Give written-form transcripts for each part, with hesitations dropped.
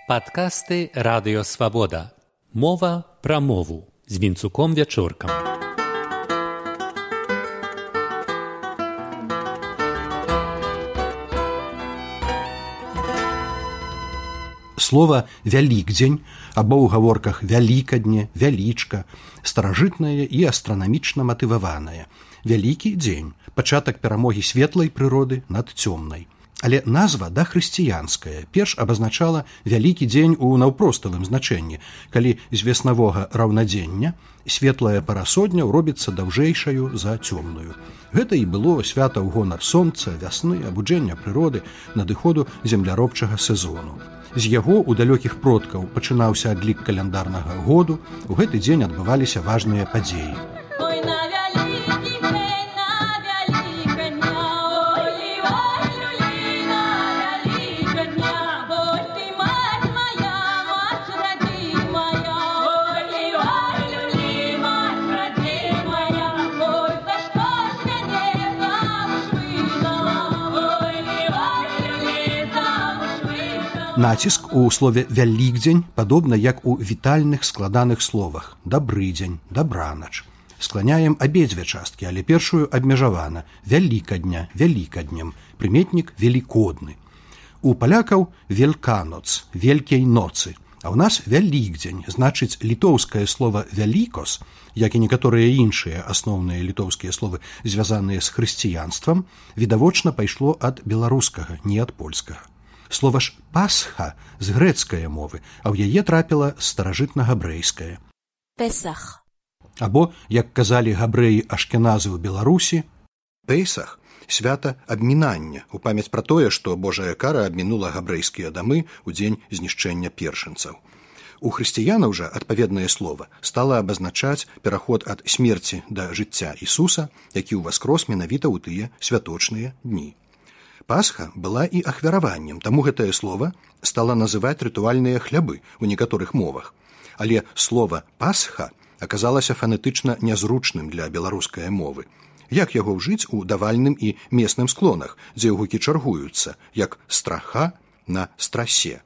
Падкасты Радыё Свабода. Мова пра мову з Вінцуком Вячоркам. Слова «вялікдзень» або ў гаворках «вялікадне», «вялічка» старажытнае і астранамічна матываванае. Вялікі дзень – пачатак перамогі светлай прыроды над цёмнай. Але назва дахрысціянская перш абазначала вялікі дзень у наўпроставым значэнні, калі з веснавога раўнадзення светлая парасодня робіцца даўжэйшаю за цёмную. Гэта і было свята ў гонар сонца, вясны, абуджэння прыроды, надыходу земляробчага сезону. З яго ў далёкіх продкаў пачынаўся адлік каляндарнага году, у гэты дзень адбываліся важныя падзеі. Націск у слове «вялікдзень» падобна як у вітальных складаных словах «дабрыдзень», «дабранач». Скланяем абедзве часткі, але першую абмежавана «вялікадня», «вялікаднем», прыметнік «велікодны». У палякаў «вельканоц», «велькій ноцы», а ў нас «вялікдзень», значыць літоўскае слова «вялікос», як і некаторыя іншыя асноўныя літоўскія словы, звязаныя з хрысціянствам, відавочна пайшло ад беларускага, не ад польскага. Слова ж «пасха» з грэцкае мовы, а ў яе трапіла старажытна-габрэйскае. Песах. Або, як казалі габрэі-ашкеназы ў Беларусі, Песах – свята абмінання, у памяць пра тое, што Божая кара абмінула габрэйскія дамы ў дзень знішчэння першынцаў. У хрысціянаў жа адпаведнае слова стала абазначаць пераход ад смерці да жыцця Ісуса, які ўваскрос менавіта ў тыя святочныя дні. Пасха была і ахвяраваннем, таму гэтае слова стала называць рытуальныя хлябы ў некаторых мовах. Але слова «пасха» аказалася фанетычна нязручным для беларускай мовы. Як яго ўжыць у давальным і месным склонах, дзе гукі чаргуюцца, як «страха» на «страсе».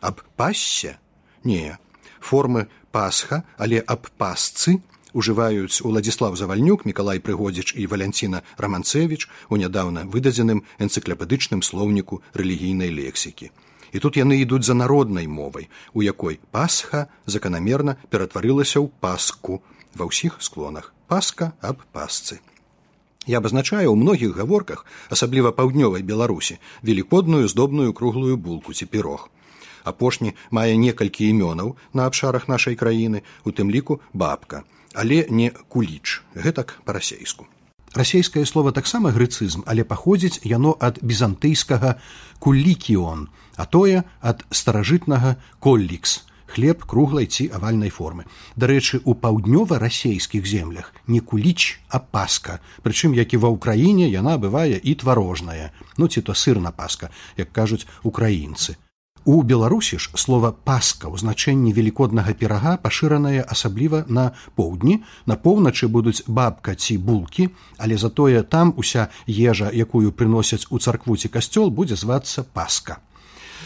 Аб «пассе»? Не. Формы «пасха», але аб «пасцы» ужываюць Уладзіслаў Завальнюк, Мікалай Прыгодзіч і Валянціна Раманцэвіч у нядаўна выдадзеным энцыклапедычным слоўніку рэлігійнай лексікі. І тут яны ідуць за народнай мовай, у якой «пасха» заканамерна ператварылася ў «паску» ва ўсіх склонах. «Паска» аб «пасцы». Я абазначаю ў многіх гаворках, асабліва паўднёвай Беларусі, велікодную здобную круглую булку ці пірог. Апошні мае некалькі імёнаў на абшарах нашай краіны, у тым ліку «бабка». Але не куліч, гэтак па-расейску. Расейскае слова таксама грэцызм, але паходзіць яно ад бізантыйскага «куллікіон», а тое ад старажытнага «коллікс» – хлеб круглай ці авальнай формы. Дарэчы, у паўднёва-расейскіх землях не куліч, а паска, прычым, як і ва ўкраіне, яна бывае і тварожная, ці то сырна паска, як кажуць украінцы. У Беларусі ж слова «паска» ў значэнні велікоднага пірага пашыранае асабліва на поўдні, на поўначы будуць бабка ці булкі, але затое там уся ежа, якую прыносяць у царкву ці касцёл, будзе звацца «паска».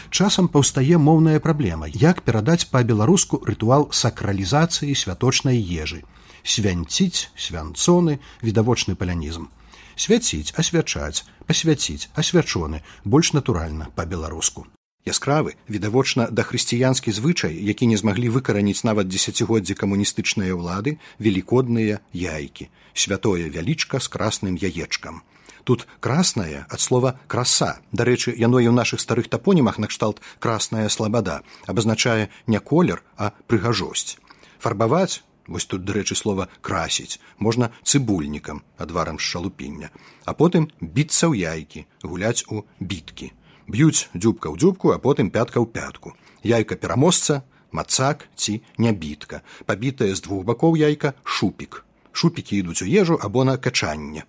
Часам паўстае моўная праблема, як перадаць па-беларуску рытуал сакралізацыі святочнай ежы. Свянціць, свянцоны, відавочны палянізм. Свяціць, асвячаць, пасвяціць, асвячоны, больш натуральна па-беларуску. Яскравы, відавочна дахрысціянскі звычай, які не змаглі выкараніць нават дзесяцігоддзі камуністычныя ўлады, велікодныя яйкі, святое вялічка з красным яечкам. Тут краснае ад слова «краса». Дарэчы, яно і ў нашых старых тапонімах накшталт «красная слабада» абазначае не колер, а прыгажосць. Фарбаваць, вось тут, дарэчы, слова «красіць», можна цыбульнікам, адварам з шалупіння, а потым біцца ў яйкі, гуляць у біткі. Б'юць дзюбка ў дзюбку, а потым пятка ў пятку. Яйка пераможца, мацак ці нябітка. Пабітае з двух бакоў яйка шупік. Шупікі ідуць у ежу або на качанне.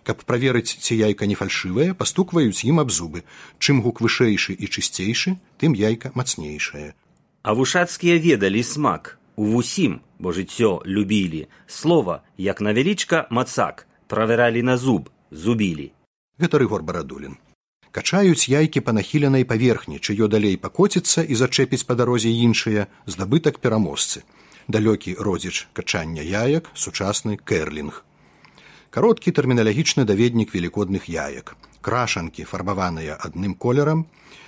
Каб праверыць, ці яйка не фальшывае, пастукваюць ім аб зубы. Чым гук вышэйшы і чысцейшы, тым яйка мацнейшае. А вушацкія ведалі смак. У вусім, бо жыццё любілі. Слова, як на вялічка, мацак. Правералі на зуб, зубілі. Гэта Рыгор Барадулін. Качаюць яйкі па нахіленай паверхні, чыё далей пакоціцца і зачэпіць па дарозе іншыя, здабытак пераможцы. Далёкі родзіч качання яек, сучасны кэрлінг. Кароткі тэрміналагічны даведнік велікодных яек. Крашанкі, фарбаваныя адным колерам,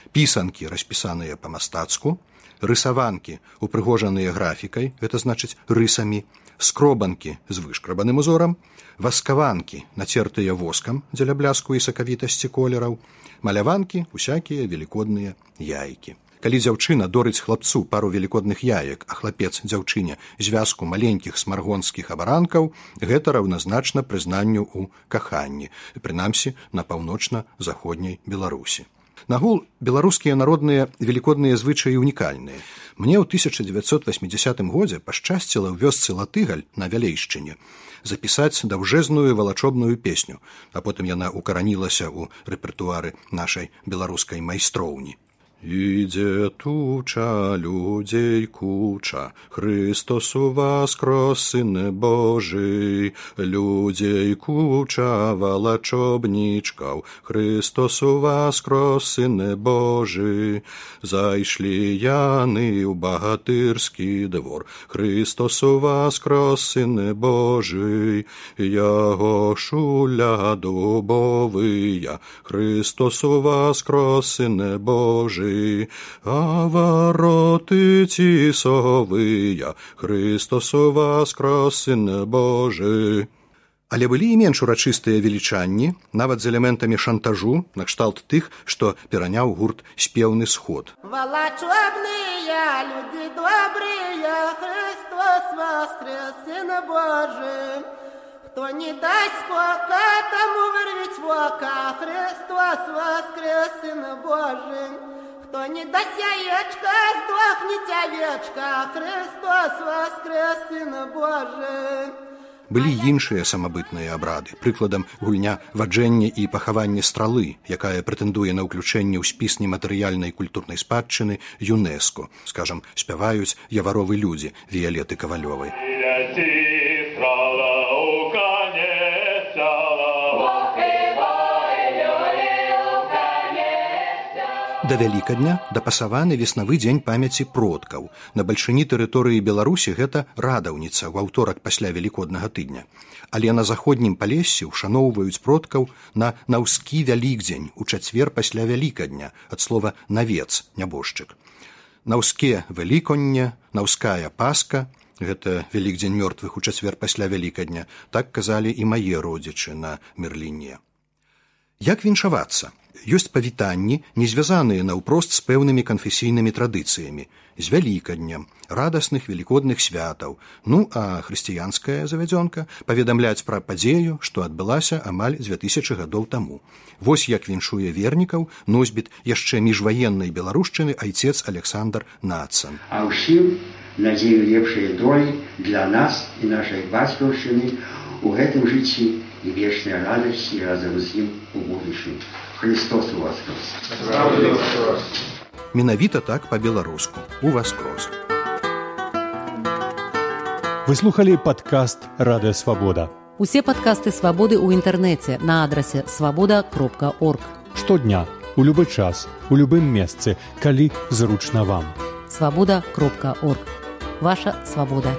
пісанкі, распісаныя па-мастацку, рысаванкі, упрыгожаныя графікай, гэта значыць рысамі, скробанкі з вышкрабаным узорам, васкаванкі, нацертыя воскам дзеля бляску і сакавітасці колераў, маляванкі, усякія велікодныя яйкі. Калі дзяўчына дорыць хлапцу пару велікодных яек, а хлапец дзяўчыне звязку маленькіх смаргонскіх абаранкаў, гэта раўназначна прызнанню ў каханні, прынамсі на паўночна-заходняй Беларусі. Нагул, беларускія народныя велікодныя звычаі унікальныя. Мне ў 1980 годзе пашчасціла ў вёсцы Латыгаль на Вялейшчыне запісаць даўжэзную валачобную песню, а потым яна укаранілася ў рэпертуары нашай беларускай майстроўні. Ідзе туча, людзей куча, Христос воскрес, Сыне Божий, людзей куча, валачобнічкаў, Христос воскрес, Сыне Божий, зайшлі яны ў багатырскі двор, Христос воскрес, Сыне Божий, яго шуля дубовыя, Христос воскрес, Сыне Божий, а вороты цісовыя, Христос воскрес, Сыне Божий. Але былі і менш урачыстыя велічанні, нават з элементамі шантажу, накшталт тых, што пераняў гурт «Спеўны сход». Валачобныя, люди добрыя, Христос воскрес, Сыне Божий. Кто не дасть скока, тому вырвить вока, Христос воскрес, Сыне Божий. Кто не дасть яечка, сдохнет овечка, Христос воскрес, Сыне Божий. Былі іншыя самабытныя абрады, прыкладам гульня ваджэння і пахавання стралы, якая прэтэндуе на ўключэнне ў спіс нематэрыяльнай культурнай спадчыны ЮНЕСКО. Скажам, спяваюць яваровы людзі Віялеты Кавалёвай. Да Вялікадня дапасаваны веснавы дзень памяці продкаў. На бальшыні тэрыторыі Беларусі гэта радаўніца ў аўторак пасля Велікоднага тыдня. Але на заходнім Палессі ушаноўваюць продкаў на наўскі Вялікдзень у чацвер пасля Вялікадня, ад слова «навец», нябожчык. Наўске Веліконне, наўская Пасха, гэта Вялікдзень мёртвых у чацвер пасля Вялікадня, так казалі і мае родзічы на Мерліне. Як віншавацца? Ёсць павітанні, не звязаныя наўпрост з пэўнымі канфесійнымі традыцыямі, з Вялікаднем, радасных велікодных святаў, ну а хрысціянская завядзёнка паведамляць пра падзею, што адбылася амаль 2000 гадоў таму. Вось як віншуе вернікаў носьбіт яшчэ міжваеннай беларушчыны айцец Александр Нацан. А ўсім надзею лепшай долі для нас і нашай бацькаўшчыны у гэтым жыцці і вечнай радасці разам з ім у будучым. Христос воскрес. Менавіта так па-беларуску. Уваскрос. Вы слухалі падкаст «Радыё Свабода». Усе падкасты «Свабоды» ў інтэрнэце на адрасе свабода.орг. Штодня, у любы час, у любым месцы, калі зручна вам. Свабода.орг. Ваша свабода.